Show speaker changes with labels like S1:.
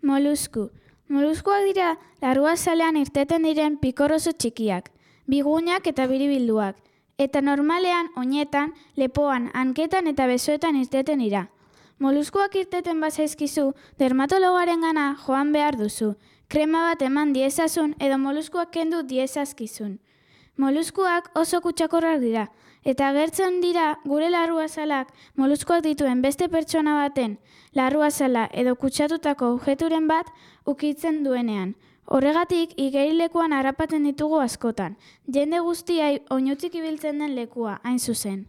S1: Molusku. Moluskuak dira larruazalean irteten diren pikor oso txikiak, bigunak eta biribilduak, eta normalean oinetan, lepoan, hanketan eta besoetan irteten dira. Moluskuak irteten bazaizkizu, dermatologaren joan behar duzu, krema bat eman diezazun edo moluskuak kendu diezazkizun. Moluskuak oso kutsakorrak dira, eta agertzen dira gure larruazalak moluskuak dituen beste pertsona baten larruazala edo kutsatutako objekturen bat ukitzen duenean. Horregatik, igerilekuan harrapatzen ditugu askotan, jende guztiai oinutsik ibiltzen den lekua, hain zuzen.